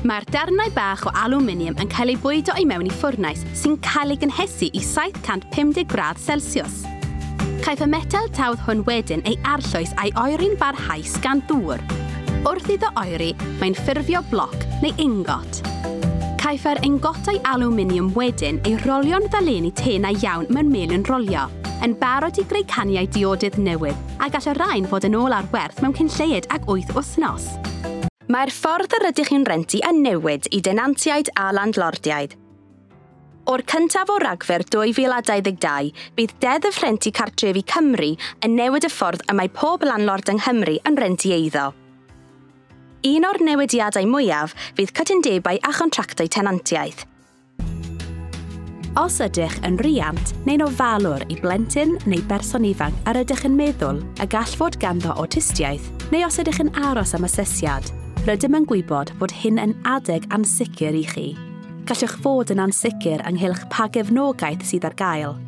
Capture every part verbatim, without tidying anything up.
Mae'r darnau bach o alwminiwm yn cael eu bwydo i mewn i ffwrnais sy'n cael ei gynhesu i saith cant pum deg gradd Celsius. Caiff y metel tawdd hwn wedyn ei arllwys a'i oeri'n barhaus gan ddŵr. Wrth iddo oeri, mae'n ffurfio bloc neu ingot. Caiff yr ingotau alwminiwm wedyn ei rolio'n ddalenni tenau iawn mewn melin rolio, yn barod i greu caniau diodydd newydd, a gall y rhain fod yn ôl ar werth mewn cyn lleied ag wyth wythnos. Mae'r ffordd yr ydych chi'n rentu yn newid i denantiaid a landlordiaid. O'r cyntaf o Ragfyr dwy fil a dau ddeg dau, bydd Deddf Rhentu Cartrefi Cymru yn newid y ffordd y mae pob landlord yng Nghymru yn rentu eiddo. Un o'r newidiadau mwyaf fydd cytundebau a chontractau tenantiaeth. Os ydych yn riant neu'n ofalwr i blentyn neu berson ifanc yr ydych yn meddwl y gall fod ganddo awtistiaeth, neu os ydych yn aros am asesiad, rydym yn gwybod bod hyn yn adeg ansicr i chi. Gallwch fod yn ansicr ynghylch pa gefnogaeth sydd ar gael.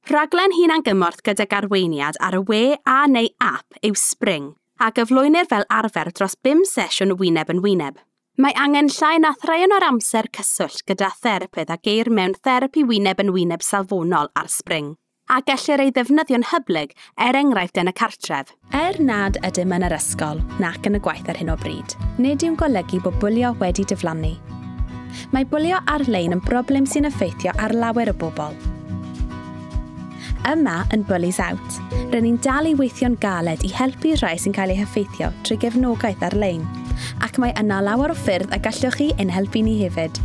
Rhaglen hunangymorth gydag arweiniad ar y we a neu app yw Spring, a gyflwynir fel arfer dros bum sesiwn wyneb yn wyneb. Mae angen llai na thraean o'r amser cyswllt gyda therapydd a geir mewn therapi wyneb yn wyneb safonol ar Spring, a gellir ei ddefnyddio'n hyblyg er enghraifft yn y cartref. Er nad ydym yn yr ysgol nac yn y gwaith ar hyn o bryd, nid yw'n golygu bod bwlio wedi diflannu. Mae bwlio ar-lein yn broblem sy'n effeithio ar lawer o bobl. Yma yn Bullies Out, rydyn ni'n dal i weithio'n galed i helpu rhai sy'n cael eu heffeithio trwy gefnogaeth ar-lein, ac mae yna lawer o ffyrdd y gallwch chi ein helpu ni hefyd.